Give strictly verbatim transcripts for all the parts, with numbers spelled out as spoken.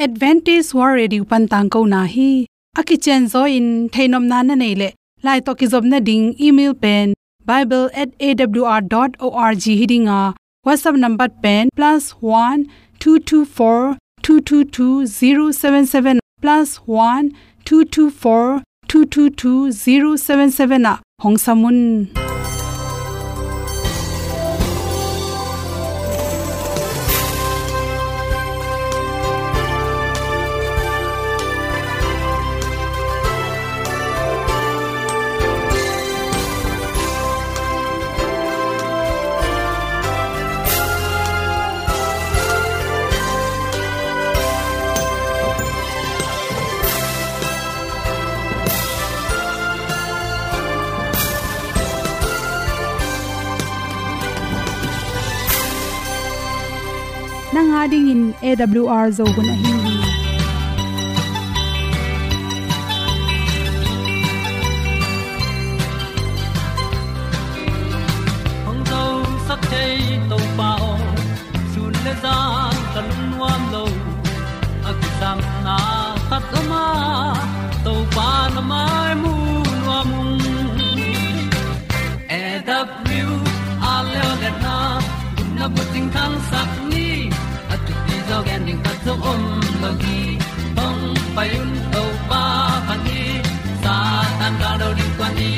Adventist World Radio pan tangkona hi. A kicianzaw in theihnopna na neih leh, lai tawh kizopna ding email pen bible at A W R dot O R G hi ding a, WhatsApp number pen plus one two two four two two two zero seven seven, plus one two two four two two two zero seven seven ah hong sam un. Nang a dingin A W R Zo hun ahi hi. Hong zosak thei Topa aw, sun le zan ka lungnuam lo. A kisapna khat om a, Topa na mai mu nuam ung. A W R leo le na, gupna bucing thangsak ni, a thupi zaw gen ding khat zong om lo hi. Hong pai un Topa phat ni, Satan gal do ding kuan ni,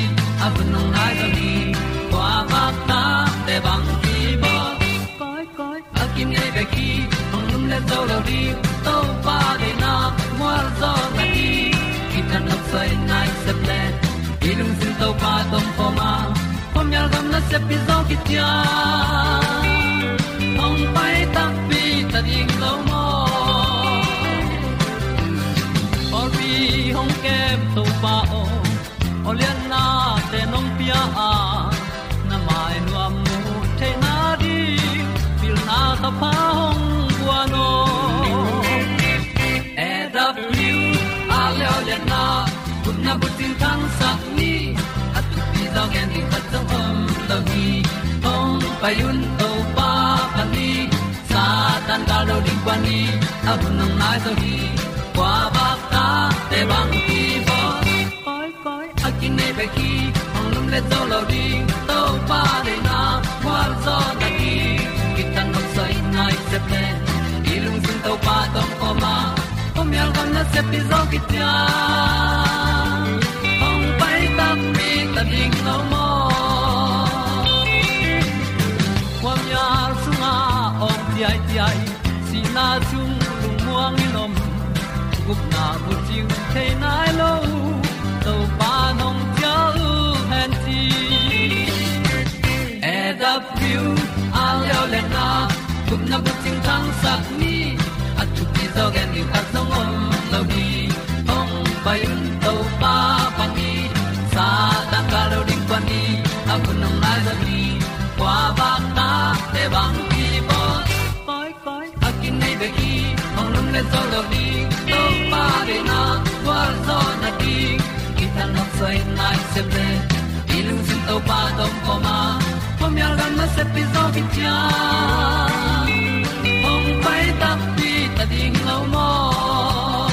a hun hong nai zaw ni, kua vak ta te bang ki bawl. Koi, koi, a kinei bek hi, hong lum le zo lo ding, Topa deihna mual zaw na hi. Kithat nop soi nai sep le, i lungsim Topa tawh om khawm a, khuamial gam nasep hi zaw kician. Hong pai takpi ta ding lo maw? Pawlpi hong kem Topa aw, awliatnate nong pia a, na mai nuam mu theihna ding, pilna thapha hong guan aw. A W R leo le na, gupna bucing thangsak ni, a thupi zaw gen ding khat zong om lo hi. Hong pai un Topa phat ni, Satan gal do ding kuan ni, a hun hong nai zaw hi. Kua vak ta te bang ki bawl. Koi, koi, a kinei bek hi, hong lum le zo lo ding, Topa deihna mual zaw na hi. Kithat nop soi nai sep le, i lungsim Topa tawh om khawm a, khuamial gam nasep hi zaw kician. Hong pai takpi ta ding lo maw? Khuamial sungah awng ciaiciai, sihna sung lungmuang in om, gupna bucing thei nai lo, Topa nong cial hen ci. A W R leo le na, gupna bucing thangsak ni, a thupi zaw gen ding khat zong om lo hi. Hong pai un Topa phat ni, Satan gal do ding kuan ni, a hun hong nai zaw hi. Kua vak ta te bang ki bawl. Koi, koi, a kinei bek hi, hong lum le zo lo ding, Topa deihna mual zaw na ding. Kithat nop soi nai sep le, i lungsim Topa tawh om khawm a, khuamial gam nasep hi zaw kician. Hong pai takpi ta ding lo maw?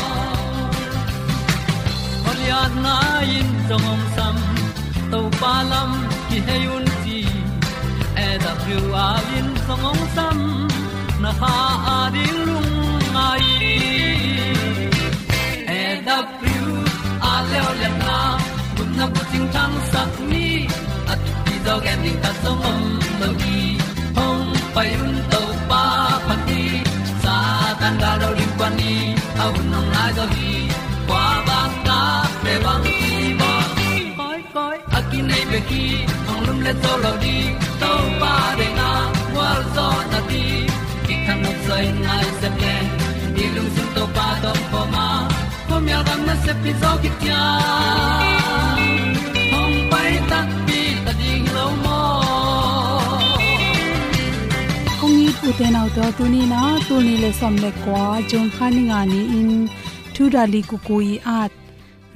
Awliatna in zong hong sam, Topa lam kihei un ci. A W R in zong hong sam, na kha a ding lungngai. A W R leo le na, gupna bucing thangsak ni, a thupi zaw gen ding khat zong om lo hi. Hong pai un Topa phat ni, Satan gal do ding kuan ni, a hun hong nai zaw hi. Kua vak ta te bang ki bawl. Koi, koi, a kinei bek hi, hong lum le zo lo ding, Topa deihna mual zaw na ding. Kithat nop soi nai sep le, i lungsim Topa tawh om khawm a, khuamial gam nasep hi zaw kician. Hong pai takpi ta ding lo maw? Kong it u te nau te aw, tuni in ah, tul nih le sawm le kua, June kha ni nga ni-in, Thu Dali Kuku i at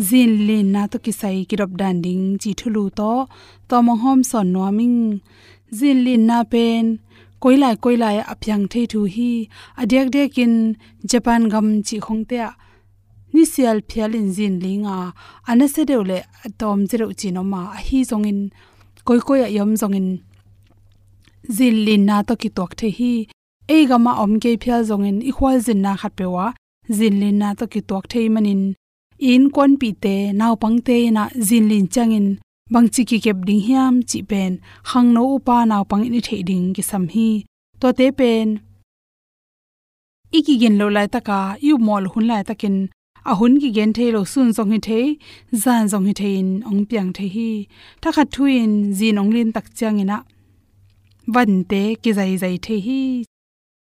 zinlinna tawh kisai kidop dan ding ci thulu tawh tawm hong hawmsawn nuam ing. Zinlinna pen koilai koilai ah a piang thei thu hi. A diakdiakin Japan gam cih khongte ah nisial phialin zin ling a, a nasia deuh le a tawmzia deuh cih om a, ahi zongin koikoi ah i om zongin zin linna tawh kituak thei hi. Ei gam ah om kei phial zongin i khualzinna khatpeuh ah zin linna tawh kituak thei manin i innkuanpihte, naupangte in ah zin lin ciangin bangci kikep ding hiam cih pen khangno upa naupang in i theih ding kisam hi. Tuate pen i kigin loh laitak a, i upmawh loh hun laitakin a hun kigen thei lo, sun zong hi thei, zan zong hi thei in hong piang thei hi. Thakhat thu-in zin hong lin tak ciangin ah vante kizaizai thei hi.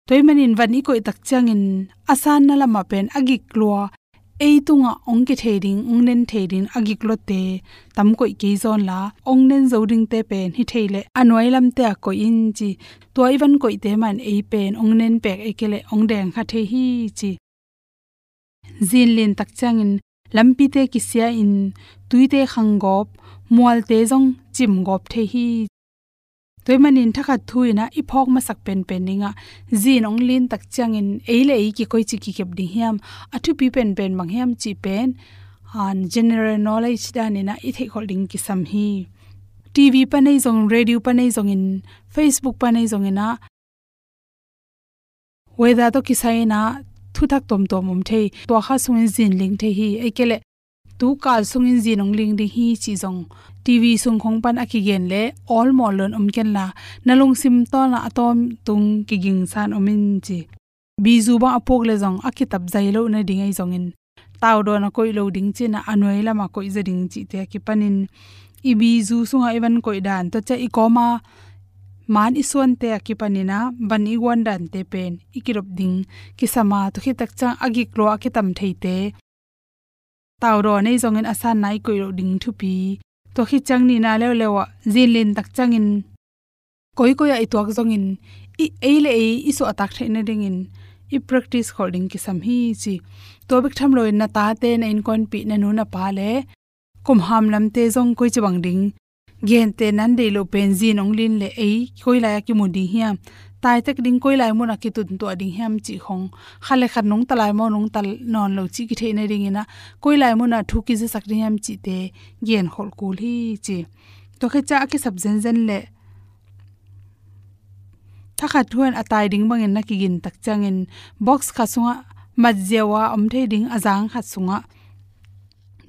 Tua ahih manin van i koih tak ciangin a sanna lamah pen a gik lua, ei tungah hong kithei ding, hong nen thei ding a gik luate tam koih kei zaw inla, hong nen zo dingte pen hi thei leh a nuai lamte ah koih in ci. Tua i van koihte mah in ei pen hong nen pek, ei kei leh hong deng kha thei hi ci. Zin lin tak ciangin lampite kisia in, tuite khang gawp, mualte zong cim gawp thei hi. Tua ahih manin thakhat thu-in ah i phawk masak penpen ding ah, zin hong lin tak ciangin ei le ei kikoici kikep ding hiam, a thupi penpen bang hiam cih pen, ah, general knowledge danin ah i theihkholh ding kisam hi. T V pan ahi zong, radio pan ahi zongin, Facebook pan ahi zongin ah, weather tawh kisai-in ah thuthak tuamtuam om thei, tua kha sungin zin ling thei hi. Ei kei leh tu kal sungin zin hong ling ding hi cih zong T V sung khong pan a kigen leh awlmawh lo-in om kenla, na lungsim tawh na a tawntung kigingsa-in om in ci. Bizu bang a puk leh zong a kitap zai loh nading ahi zongin, taudawn a koih loh ding ci-in ah a nuai lamah koih zaw ding cihte a kipanin, i bizu sungah i van koih dan, tua ciang i kawma man i suante a kipanin ah van i guan dante pen i kidop ding kisam a, tua khit tak ciang a gik lua a kitam theite taudawn ahi zongin a sanna i koih loh ding thupi. Tua khit ciang nihna leuleu ah zin lin tak ciangin koikoi ah i tuak zongin, i, ei le ei i suahtak theih nadingin i practice kholh ding kisam hi ci. Tua bek tham loin na tate, na innkuanpih, na nu na pa le kumham lamte zong koici bang ding, gentehna deih loh pen zin hong lin leh ei koilai a kimu ding hiam, taitek ding koilai munah kituntuah ding hiam cih khong, khat le khat nungta lai maw, nungta nawn lo cih kitheih nadingin ah koilai munah thu kizasak ding hiam cihte genkholh kul hi ci. Tua khit ciang a kisap zenzen leh thakhat thu-in a tai ding bangin na kigin tak ciangin box khat sungah mat ziau a om thei ding a zang khat sungah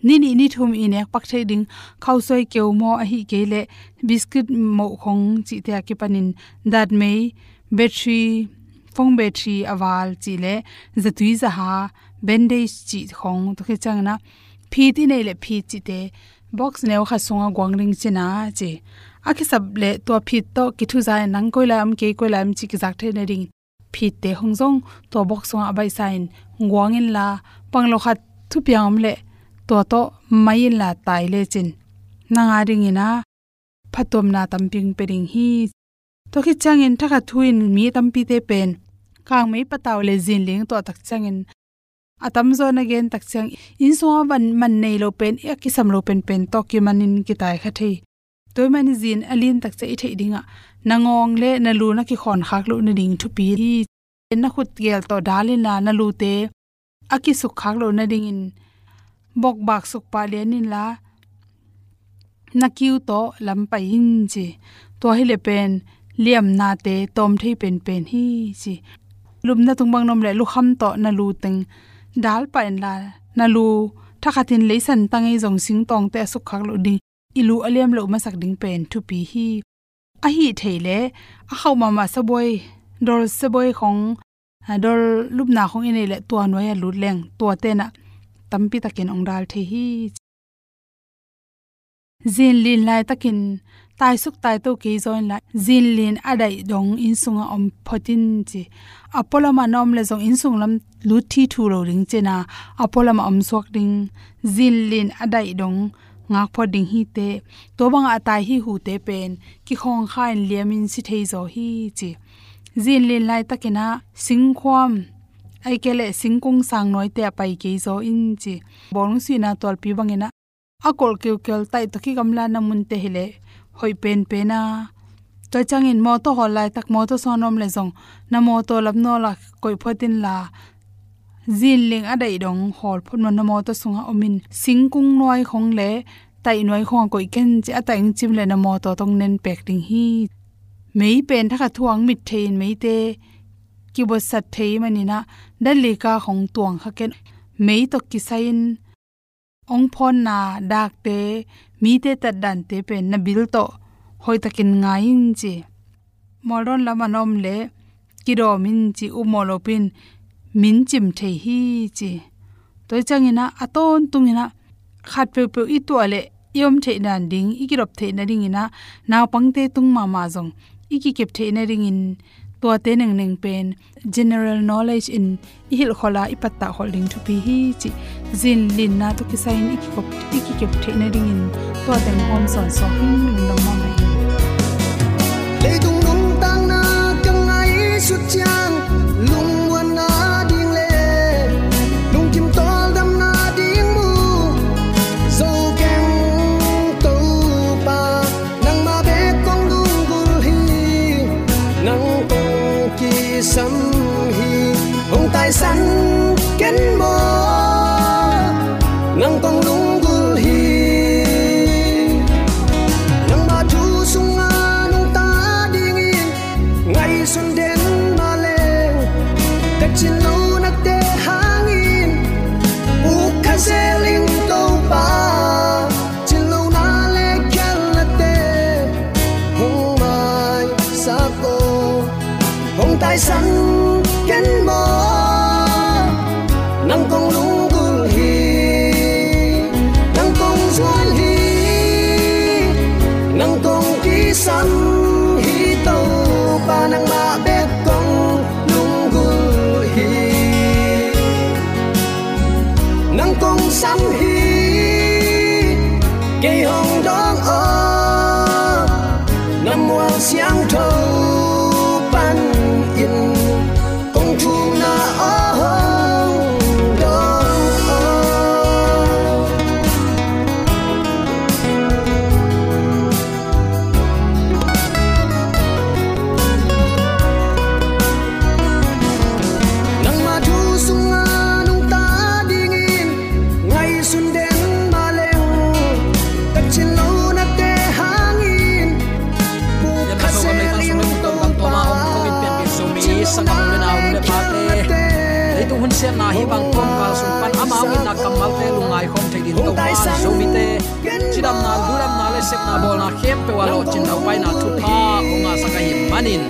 ni nih ni thum i nek pak thei ding khausuai keu maw, ahih kei leh biscuit moh khong cihte a kipanin datmei, battery, phone battery a val cih leh zatui zaha, bandage cih khong, tua khit ciangin ah phit i neih leh phit cihte box neu khat sungah guang ding ci-in ah ci. A kisap leh tua phit tawh kithuza-in nang koilai om, kei koilai om cih kizak theih nading phitte khong zong tua box sungah a baihsa-in guang inla, pang lo khat thupiang om leh tua tawh mai inla tai lecin nang a dingin ah phattuamna tampi hong pia ding hi. Tua khit ciangin thakhat thu-in mi tampite pen kangmei patau le zin ling tuah tak ciangin, a tamzaw na gen tak ciang, inn sungah van man nei lo pen, a kisam lo penpen tawh kimanin kitai kha thei. Tua ahih manin zin a lin tak ciang i theih dingah na ngawng le na lu na kikhawn khak loh nading thupi hi. Na khut gel tawh dal inla, na lute a kisuk khak loh nadingin bokbak sukpah lian inla, na kiu tawh lam pai in ci. Tua hi leh pen liamnate tawm thei penpen hi ci. Lupna tung bang na om leh lukham tawh na lu teng dal pah inla, na lu thakhatin leisan tang ahi zong singtawngte a sukkhak loh ding, i lu a liam loh masak ding pen thupi hi. Ahi thei leh a khauh mahmah sabuai, dol sabuai khong, a, dol lupna khong i neih leh tua nuai-ah lut leng tuate in ah tampi takin hong dal thei hi. Zin lin laitakin taisuk taito kei zaw inla, zin lin a daih dong inn sungah om phot in ci. A pualamah na om leh zong inn sung lam lut thithu lo ding ci-in ah, a pualamah om suak ding, zin lin a daih dong ngak phot ding hi teh. Tua bangah a tai hi hute pen kikhawng kha-in liamin si thei zaw hi ci. Zin lin laitakin ah singkhuam, ahih kei leh singkung sang nuaite ah pai kei zaw in ci. Bawlung suihna tualpi bangin ah a kolh kiukial taih tawh kigamlatna munte hi leh hoih penpen a, Tua ciangin mawtaw hawl laitak mawtaw sawn om le zong na mawtaw lamnawl ah koih phot inla, zinling a daih dong hawl phot maw, na mawtaw sungah om in, singkung nuai khong le taih nuai khong ah koih ken ci, a taih hong cim le na mawtaw tawh hong nenpek ding hi. Mei pen thakhat thu-ah hong mit thei in, meite kibuatsat thei manin ah, dan lika khong tuang kha ken, mei tawh kisai in hong phawnna dakte, mite tatdante pen na bil tawh hoihtakin ngai in ci. Mawldawn lam a na om le kidawm in ci, upmawh lopi in min cim thei hi ci. Tua ciangin ah a tawntungin ah khat peuhpeuh i tuah le i om theih nading, i kidop theih nadingin ah, naupangte tung mahmah zong i kikep theih nadingin, tuate nengneng pen general knowledge in i hilh khol a, i pattah khol ding thupi hi ci. Zinlinna tawh kisai in i kikop, i kikep theih nadingin tua teng hawm sawnsawn hi. Lungdam mahmah hi. Leitung nuntakna ka ngaihsut ciang, lungmuanna ding le lungkim tawldamna ding mu zo keng, Topa. Nangmah bek kong lunggulh hi, nang kong kisam hi. Hong taisan ken maw, nang kong lunggulh hi. Nangmah thu sungah nungta dingin ngaihsun den mah leng, ka cin lohnate hangin uk kha zel ing, Topa. Cin lohna le khialhnate hong maisak aw. Hong taisan ken maw, nang kong lunggulh hi. Nang kong zuan hi, nang kong kisam hi, Topa. Nangmah bek kong lunggulh hi. Nang kong sam hi, kei hong dawng aw. Na mual siangtho panin kong thumna aw, hong dawng aw. Nangmah thu sungah nungta dingin ngaihsun den mah leng, ka cin lohnate hangin uk kha zel ing, Topa. Sanggam u le nau, nu le pate, leitung hun siatna hih bang kawmkal sung pan amau itna kammalte lungngai khawm thei dingin Topa, Zomite cidamna, ludamna le sepna bawlna khempeuh ah lawhcin daupaina thupha hong ngahsak ahih manin,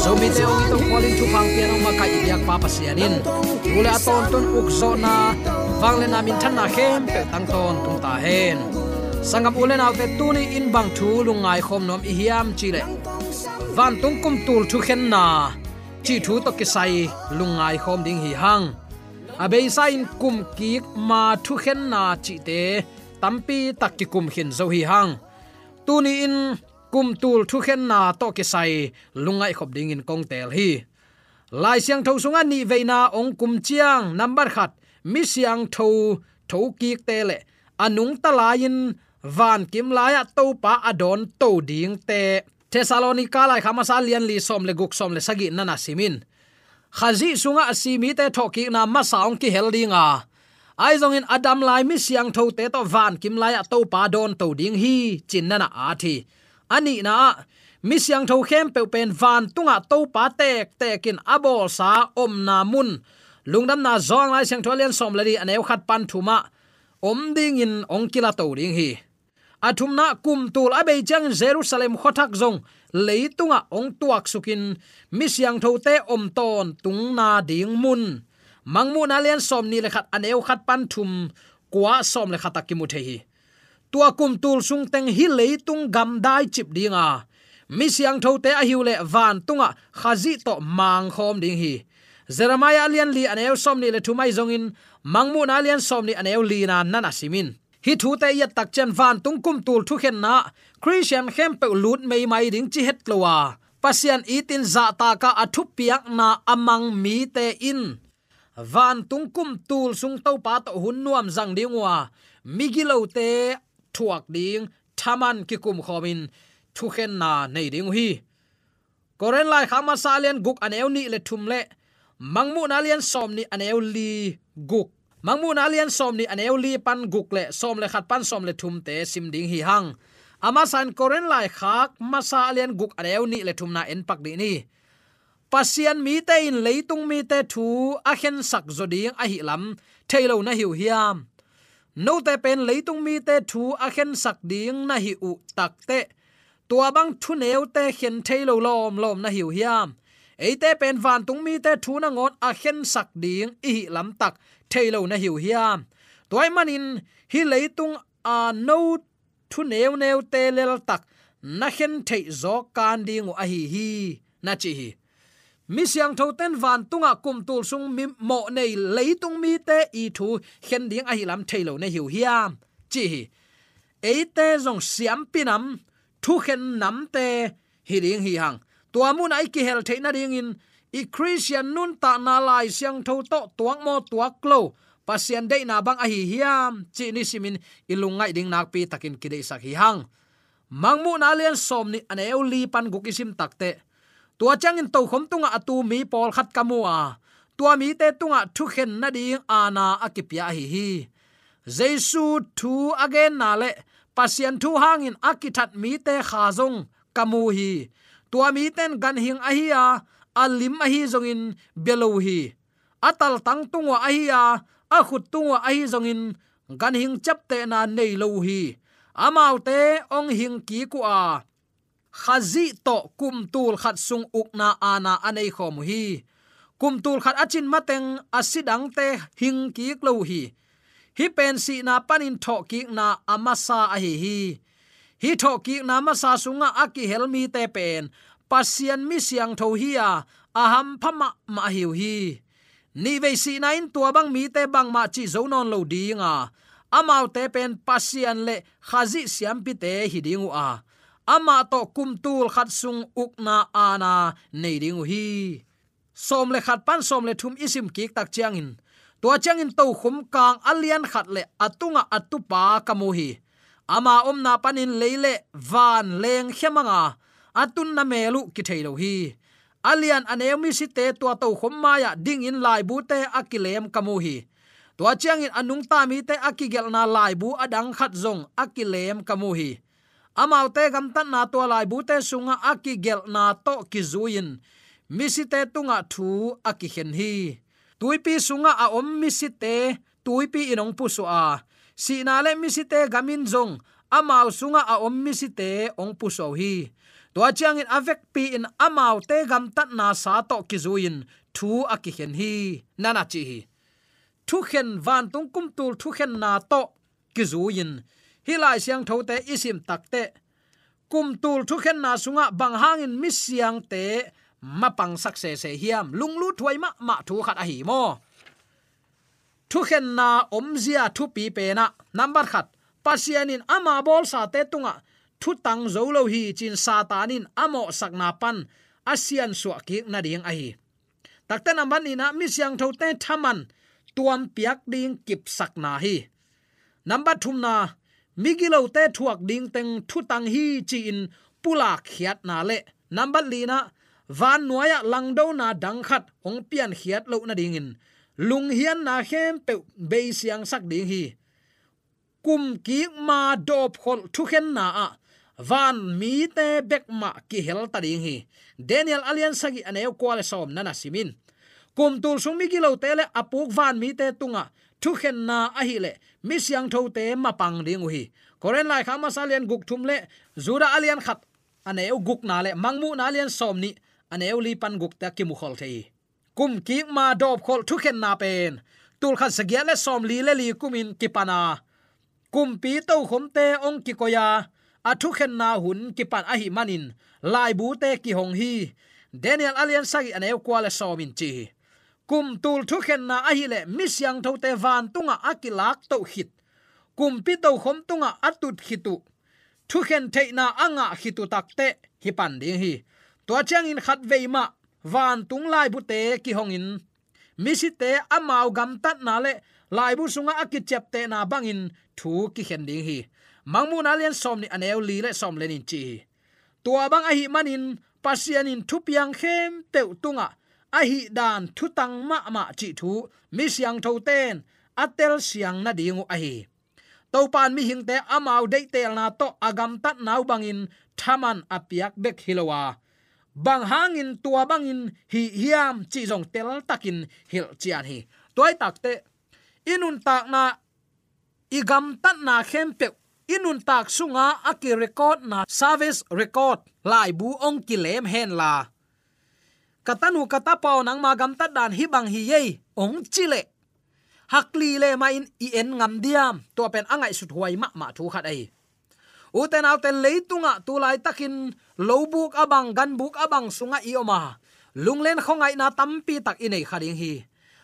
Zomite hong it, hong khual in, thupha hong pia in hong makaih i biakpa Pasian in, tu le a tawntung ukzawhna, vangliatna, minthanna khempeuh tang tawntung ta hen. Sanggam u le naute, tuni in bang thu lungngai khawm nuam i hiam cih leh, vantung kum tul thukhenna cih thu tawh kisai lungngai khawm ding hi hang. A beisa in kum kik ma thukhenna cihte tampi tak kikum khin zo hi hang. Tuni in kum tul thukhenna tawh kisai lungngaih khop dingin kong teel hi. Lai Siangtho sungah nih veina hong kum ciang, nambat khat, mi siangtho thokikte le a nungta lai-in vankim lai-ah Topa a dawnto dingte, Thessalonika laikhak masa lian li, sawm le guk, sawm le sagih na na sim in. Khazih sungah a si mite thawhkikna masa hong kihel ding a, ahi zongin a dam lai mi siangthote tawh vankim lai-ah Topa dawnto ding hi, ci-in na na at hi. A nihna ah, mi siangtho khempeuh pen vantungah Topa tektek in a bawlsa omna mun, Lungdamna Johan Lai Siangtho a lian sawm le li, a neu khat pan thum ah om dingin hong kilato ding hi. A thumna, kum tul a bei ciangin Jerusalem khuathak zong leitungah hong tuaksukin mi siangthote om tawntungna ding mun, Mangmuhna lian sawmnih le khat, a neu khat pan thum, kua, sawm le khat ah kimu thei hi. Tua kum tul sung teng hih leitung gamdai cip ding a, mi siangthote ahi uh leh vantungah Khazih tawh mangkhawm ding hi. Jeremiah a lian li, a neu sawmnih le thum ahi zongin, Mangmuhna a lian sawmnih, a neu lina na na sim in. Hih thute i et tak ciang vantung kum tul thukhenna ah Khristian khempeuh lut meimai ding ci het lo a, Pasian itin zahtak a a thupiakna a mang mite in vantung kum tul sung Topa tawh hun nuam zang ding uh a, migilote thuak ding thaman kikum khawmin thukhenna nei ding uh hi. Korin laikhak masa a lian guk a neu nih le thum le Mangmuhna a lian sawm nih a neu li guk, Mangmuhna a lian sawm nih a neu li pan guk le sawm le khat pan sawm le thumte sim ding hi hang. A masa in Korin laikhak masa a lian guk a neu nih le thumna en pak dih ni. Pasian mite in leitung mite thu a khensak zaw ding ahi lam thei lo na hi uh hiam? Note pen leitung mite thu a khensak ding na hi uh takteh, tua bang thuneute khen thei lo lawmlawm na hi uh hiam? Eite pen vantung mite thu nangawn a khensak ding i hih lamtak thei lo na hi uh hiam? Tua ahih manin hih leitung a no thu neuneute leltak na khen theih zawk kan ding uh ahi hi, na ci hi. Mi siangthote in vantungah kum tul sung mi mawh nei leitung mite i thu khen ding ahi lam thei lo na hi uh hiam, ci hi. Eite zong siampi nam, thukhen namte hi ding hi hang. Tua munah i kihel theih nadingin i Khristian nuntakna Lai Siangtho tawh tuak maw tuak lo Pasian deihna bang ahi hiam cih nisimin i lungngaih ding nakpi takin kideihsak hi hang. Mangmuhna a lian sawm nih a neu li pan guk i sim takteh, tua ciangin tokhom tungah a tu mi pawlkhat ka mu a, tua mite tungah thukhen nading aana a kipia ahi hi. Jesu thu a genna le Pasian thu hangin a kithat mite kha zong ka mu hi. Tua mite in ganhing ahi a, a lim ahi zongin bia lo hi. A taltang tung uah ahi a, a khut tung uah ahi zongin ganhing ciaptehna nei lo uh hi. Amaute hong hing kik uh a, Khazih tawh kum tul khat sung ukna aana a nei khawm uh hi. Kum tul khat a cin mateng a si dangte hing kik lo uh hi. Hih pen sihna panin thawhkikna a masa ahi hi. Hih thawhkikna masa sungah a kihel mite pen Pasian mi siangtho hi a, a hampha mahmah ahi uh hi. Nihvei sihna in tua bang mite bangmah cih zo nawn lo ding a, amaute pen Pasian le Khazih siampite hi ding uh a, amah tawh kum tul khat sung ukna aana nei ding uh hi. Sawm le khat pan sawm le thum i sim kik tak ciangin, tua ciangin tokhom kang a lian khat le a tungah a tupa ka mu hi. Ama omna panin lei le van lengkhia mang a, a tunna mel uh kithei lo hi. A lian a neu misite tua tokhom mai-ah dingin laibute a kilem ka mu hi. Tua ciangin a nungta mite a kigelhna laibu a dang khat zong a kilem ka mu hi. Amaute gamtatna tua laibute sungah a kigelhna tawh kizui-in misite tungah thu a kikhen hi. Tuipi sungah a om misite tuipi in hong pusuah a, sihna le misite gam in zong amau sungah a om misite hong pusuah uh hi. Tua ciangin a vekpi-in amaute gamtatna sa tawh kizui-in thu a kikhen hi, na na ci hi. Thukhen, vantung kum tul thukhenna tawh kizui-in hih Lai Siangthote i sim takteh, kum tul thukhenna sungah bang hangin mi siangte mapangsak sese hiam? Lunglut huai mahmah thu khat ahi maw? Thukhenna omzia thupi penah, nambat khat, Pasian in ama bawlsate tungah thutang zo lo hi ci-in Satan in a mawhsakna pan a siansuah kik nading ahi. Takte nambat nihna, mi siangthote thaman tuampiak ding kipsakna hi. Nambat thumna, migilote thuak dingteng thutang hi ci-in pulakkhiatna le nambat lina, vannuai-ah langdona dang khat hong piankhiat loh nadingin lunghianna khempeuh beisiangsak ding hi. Kumkik ma dawpkholh thukhenna ah van mite bek mah kihel ta ding hi. Daniel a lian sagih a neu kua le sawm na na sim in. Kum tul sung migilote le a puk van mite tungah thukhenna ahileh mi siangthote mapang ding uh hi. Korin laikhak masa a lian guk thum le Judah a lian khat a neu gukna le Mangmuhna a lian sawm nih a neu li pan gukte a kimukhol thei hi. Kumkik ma dawpkholh thukhenna pen tulkhat zagiat le sawmli le li kumin kipan a, kumpi tokhomte hong kikoi a, a thukhenna hun kipan ahih manin laibute kihong hi. Daniel a lian sagih a neu kua le sawm in ci hi. Kum tul thukhenna ahileh mi siangthote vantungah a kilak toh khit, kumpi tokhom tungah a tut khit uh, thukhen theihna a ngah khit uh takteh hi pan ding hi. Tua ciangin khatvei mah vantung laibute kihongin misite amau gamtatna le laibu sungah a kiciaptehna bangin thu kikhen ding hi. Mangmuhna a lian sawm nih a neu li le sawm le nih in ci hi. Tua bang ahih manin Pasian in thupiang khempeuh tungah ahih dan thutang mahmah cih thu mi siangthote in a telsiang nading uh ahi hi. Topa in mihingte amau deihtelna tawh a gamtatna uh bangin thaman a piak bek hi lo a, bang hangin tua bangin hih hiam cih zong teltakin hilhcian hi. Tua ahih takteh i nuntakna, i gamtatna khempeuh, i nuntak sunga a ki-recordna service record laibu hong kilem henla, ka tanu ka tapa aw, nangma gamtat dan hih bang hi ei, hong cih leh, hak lilem in i en ngam diam? Tua pen a ngaihsut huai mahmah thu khat ahi. Ute naute, leitungah tu laitakin lobuk a bang, ganbuk a bang sungah i om a, lunglen khuangaihna tampi tak i nei kha ding hi.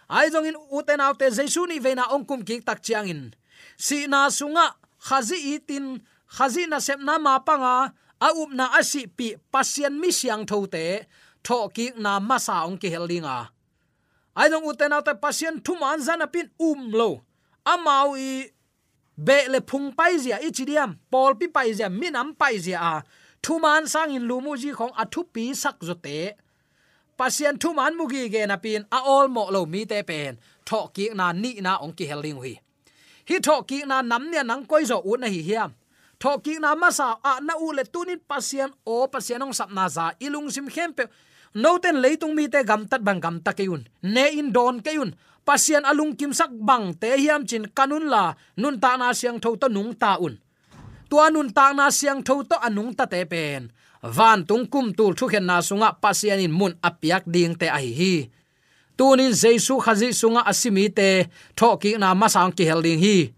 Ahi zongin ute naute, Jesu nih veina hong kumkik tak ciangin sihna sungah Khazih itin, Khazih nasepna mapanga a upna a sihpih Pasian mi siangthote thawhkikna masa hong kihel ding a, ahi zong ute naute, Pasian thuman za napi in um lo, amau i beh le phung paizia i ci diam, pawlpi paizia, minam paizia a thuman sangin lum uh zi khawng a thupi sak zawte, Pasian thuman mu gige napi in a awlmawh lo mite pen thawhkikna nihna hong kihel ding uh hi. Hih thawhkikna nam nih a nang koi zawh ut na hi hiam? Thawhkikna masa ah na ut leh tunin Pasian aw, Pasian hong sapna za i lungsim khempeuh, note in leitung mite gamtat bang gamta kei un, ne in dawn kei un, Pasian a lungkimsak bangte hiam ci-in kan unla, nuntakna siangtho tawh nungta un. Tua nuntakna siangtho tawh a nungtate pen vantung kumtul thukhenna sungah Pasian in mun a piak dingte ahi hi. Tunin Jesu Khazih sungah a si mite thawhkikna masa hong kihel ding hi.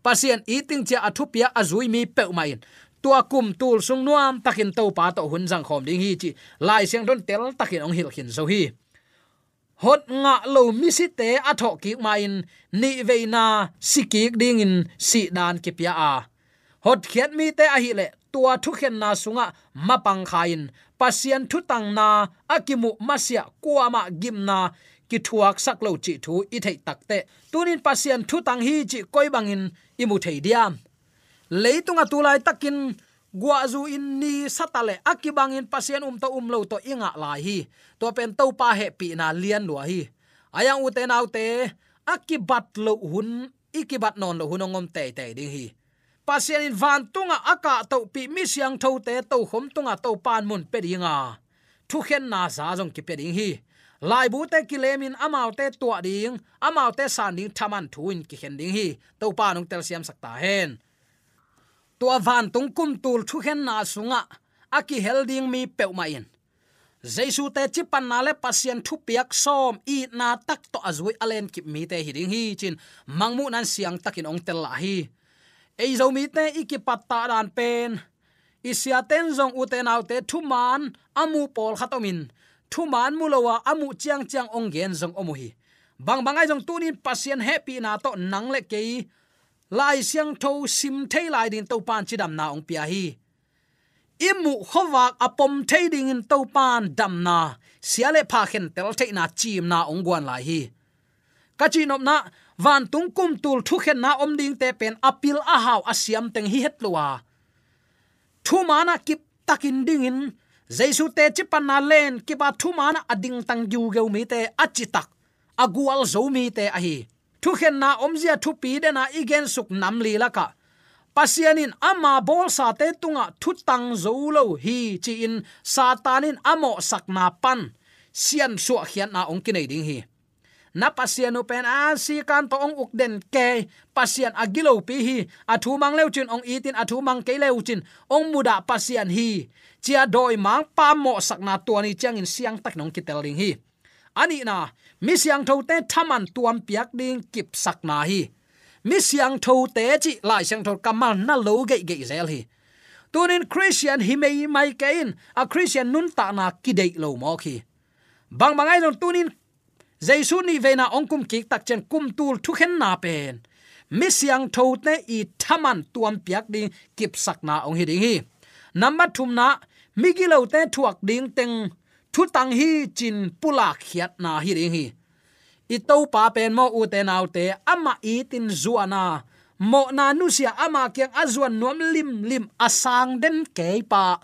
Pasian it ding ci-a a thupiak a zui mi peuhmah in tua kumtul sung nuamtakin Topa tawh hun zangkhawm ding hi cih Lai Siangtho in teltakin hong hilh khin zo hi. Hot ngah lo misite a thawhkik ma-in nihveina sikik dingin sihdan kipia a, hotkhiat mite ahih leh tua thukhenna sungah mapang kha-in Pasian thutangna a kimuh masiah kuamah gimna kithuaksak lo cih thu i theih takteh, tunin Pasian thutang hi cih koi bangin i mu thei diam? Leitungah tu laitakin guahzu in ni sa ta leh a kibangin Pasian um tawh um lo tawh i ngah lai hi. Tua pen Topa hehpihna lian lua hi. Ahi zong ute naute, a kibat loh hun, i kibat nawn loh hun hong om teitei ding hi. Pasian in vantungah a kahtohpih mi siangthote tokhom tungah Topa in mun pia ding a, thukhenna za zong kipia ding hi. Laibute kilemin amaute tuah ding, amaute san ding thaman thu in kikhen ding hi. Topa in hong telsiamsak ta hen. Tua vantung kumtul thukhenna sungah a kihel ding mi peuhmah in Jesu teci panna le Pasian thupiak sawm itna tak tawh a zui a lenkip mite hi ding hi ci-in Mangmuhna in siangtakin hong tel lah hi. Ei Zomite i kipattah dan pen, i siate in zong ute naute thuman a mu pawlkhat om in, thuman mu lo a a muh ciangciang hong gen zong om uh hi. Bangbang ahi zong tunin Pasian hehpihna tawh nang le kei Lai Siangtho sim thei lai dingin Topa in cidamna hong pia hi. I muh khuavak a pom thei dingin Topa in damna, sia le pha khentel theihna, ciimna hong guan lai hi. Ka cihnopna, vantung kumtul thukhenna om dingte pen a pil a hau a siam teng hi het lo a, thuman ah kiptakin dingin, Jesu teci panna lenkip a thuman ah a dingtang giugeu mite a citak, a gualzo mite ahi. Thukhenna omzia thupi dena i gensuk nam li lakah Pasian in ama bawlsate tungah thutang zo lo hi ci-in Satan in a mawhsakna pan siansuahkhiatna hong kinei ding hi. Na Pasian uh pen a sikan tawh hong uk den kei, Pasian a gilopi hi, a thu mang leucin hong itin, a thu mang kei leucin hong mudah Pasian hi, ci-a dawimangpa mawhsakna tua ni ciangin siangtakin hong kitel ding hi. A nihna, mi siangthote thaman tuampiak ding kipsakna hi. Mi siangthote cih Lai Siangtho kammal na lo geihgeih zel hi. Tunin Khristian hi meimai kei in a Khristian nuntakna kideih lo mawk hi. Bangbang ahi zong tunin Jesu nihveina hong kumkik tak ciang kumtul thukhenna pen mi siangthote i thaman tuampiak ding kipsakna hong hi ding hi. Nambat thumna, migilote thuak ding teng thutang hi ci-in pulakkhiatna hi ding hi. I Topa pen maw ute naute, amah itin zuan a, mawhna nusia, ama kiang a zuan nuam limlim a sang den kei pa,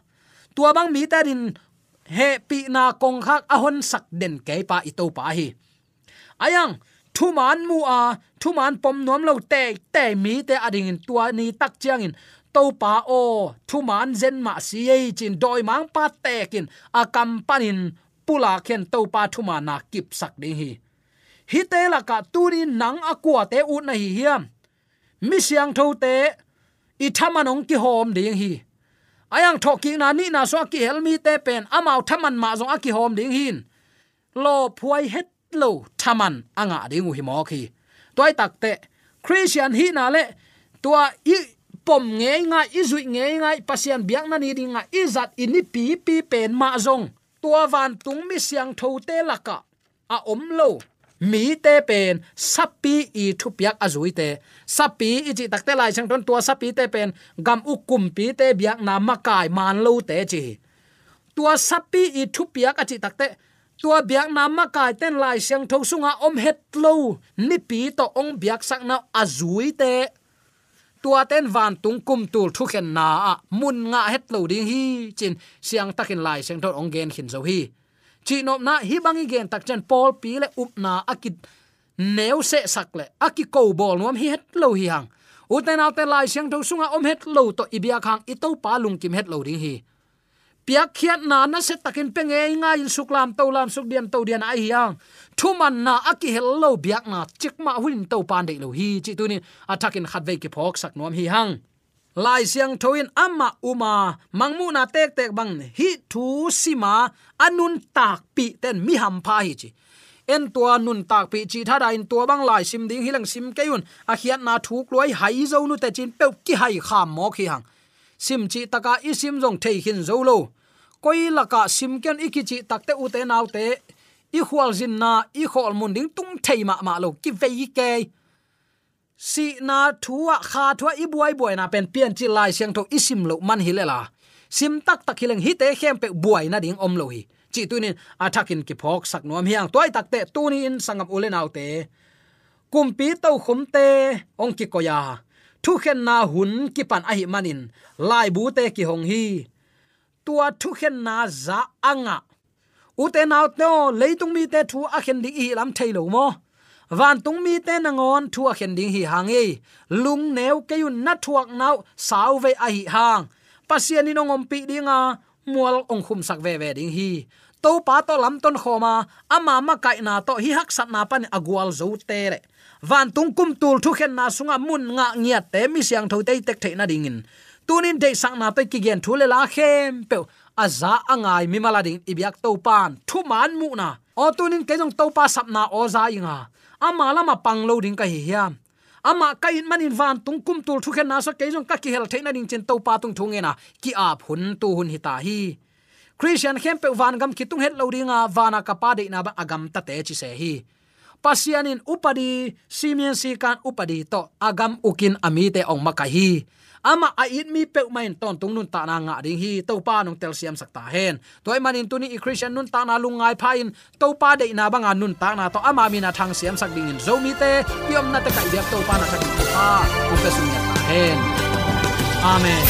tua bang mite adingin hehpihna kongkhak a honsak den keipa i Topa hi. Aiang, thuman mu a, thuman pom nuam lo teitei mite adingin tua ni tak ciangin, Topa aw, thuman zen mah si ei ci-in dawimangpa tekin a kam panin pulak hen Topa thumanna kipsak ding hi. Hihte lakah tuni nang a kuate ut na hi hiam? Mi siangthote i thaman hong kihawm ding hi. Aiang, thawhkikna nihna sungah kihel mite pen amau thaman mah zong a kihawm ding hi. Lawphuai het lo thaman a ngah ding uh hi mawk hi. Tua hi takteh Khristian hihna le tua i pom ngeingai, i zuih ngeingai, Pasian biakna ni dingah i zat i nipipi pen mah zong tua vantung mi siangthote lakah a om lo mite pen sapi i thupiak a zuite. Sapi i cih takteh Lai Siangtho in tua sapite pen gam uk kumpite biakna makai man lote ci hi. Tua sapi i thupiak a cih takteh tua biakna makaite in Lai Siangtho sungah om het lo nipi tawh hong biaksakna a zuite, tuate in vantung kumtul thukhenna ah mun ngah het lo ding hi ci-in siangtakin Lai Siangtho in hong gen khin zo hi. Cihnopna, hih bang i gen tak ciang pawlpi le upna a kineu sehsak le a kiko bawl nuam hi het lo hi hang. Ute naute, Lai Siangtho sungah om het lo tawh i biak hang i Topa lungkim het lo ding hi. Piakkhiatna nasia takin pia ngeingai-in suklam tolam, sukdiam todiam ahi hang, thumanna a kihel lo biakna cikmah hunin Topa in deih lo hi cih tuni-in a thakin khatvei kiphawksak nuam hi hang. Lai Siangtho in amah um a, Mangmuhna tektek bangin hih thu sim a a nuntakpihte in mi hampha hi ci. En, tua nuntakpih cih thada-in tua bang lai sim ding hi leng sim kei un, a khiatna thuk lua hi, hai zo nute ci-in peuh kihaikham mawk hi hang. Sim cih taka i sim zong thei khin zo lo. Koi lakah sim kei un i kicih takteh, ute naute, i khualzinna, i khawlmun ding tung thei mahmah lo, kivei kei. Sihna thu ah, kha thu ah i buaibuaina pen Piancil Lai Siangtho i sim loh man hi lel a, sim taktak hi leng hihte khempeuh buai nading om lo hi cih tuni-in a thakin kiphawksak nuam hi hang. Tua hi takteh tuni-in sanggam u le naute, kumpi tokhomte hong kikoih a, thukhenna hun kipan ahih manin laibute kihong hi. Tua thukhenna za a ngah ute naute aw, leitung mite thu a khen ding i hih lam thei lo maw? Vantung mite nangawn thu a khen ding hi hang ei. Lungneu kei un, na thuakna uh sauvei ahih hang, Pasian in hong ompih ding a, mual hong khumsak veve ding hi. Topa tawh lamton khawm a, ama makaihna tawh hih haksatna panin a gualzote le vantung kumtul thukhenna sungah mun ngah ngiatte, mi siangthote i tek theih nadingin tuni-in deihsakna tawh i kigen thu le la khempeuh a za a ngai mimal adingin i biak Topa in thuman muhna, aw, tuni-in kei zong Topa sapna aw za ing a, ama lamah pang lo ding ka hi hiam? Amah ka it manin vantung kumtul thukhenna sungah kei zong ka kihel theih nading ci-in Topa tung thu ngen a ki-ap hun tu hun hi ta hi. Khristian khempeuh vangam kitung het lo ding a, vana ka Pa deihna bang a gamtate ci se hi. Pasian in upadi, Simeon Sikan upadi tawh a gam ukin a mite hong makaih hi. Amah a it mi peuhmah in tawntung nuntakna ngah ding hi. Topa in hong telsiamsak ta hen. Tua ahih manin tuni i Khristian nuntakna lungngai pha-in Topa deihna banga nuntakna tawh ama min a thang siamsak dingin Zomite i omna tekah i biak Topa in a thakin thupha hong pia sung ngiat ta hen. Amen.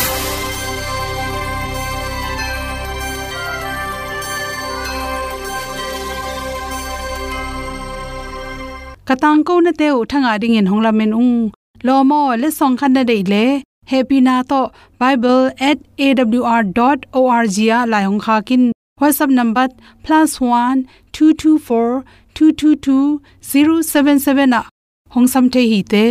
Ka tangkonate uh thangah dingin hong lamen ung. Lawm aw, letsong khat na deih leh hehpihna tawh bible at A W R dot O R G ah lai hong khak in. WhatsApp number plus one two two four two two two zero seven seven ah hong sam thei hi te.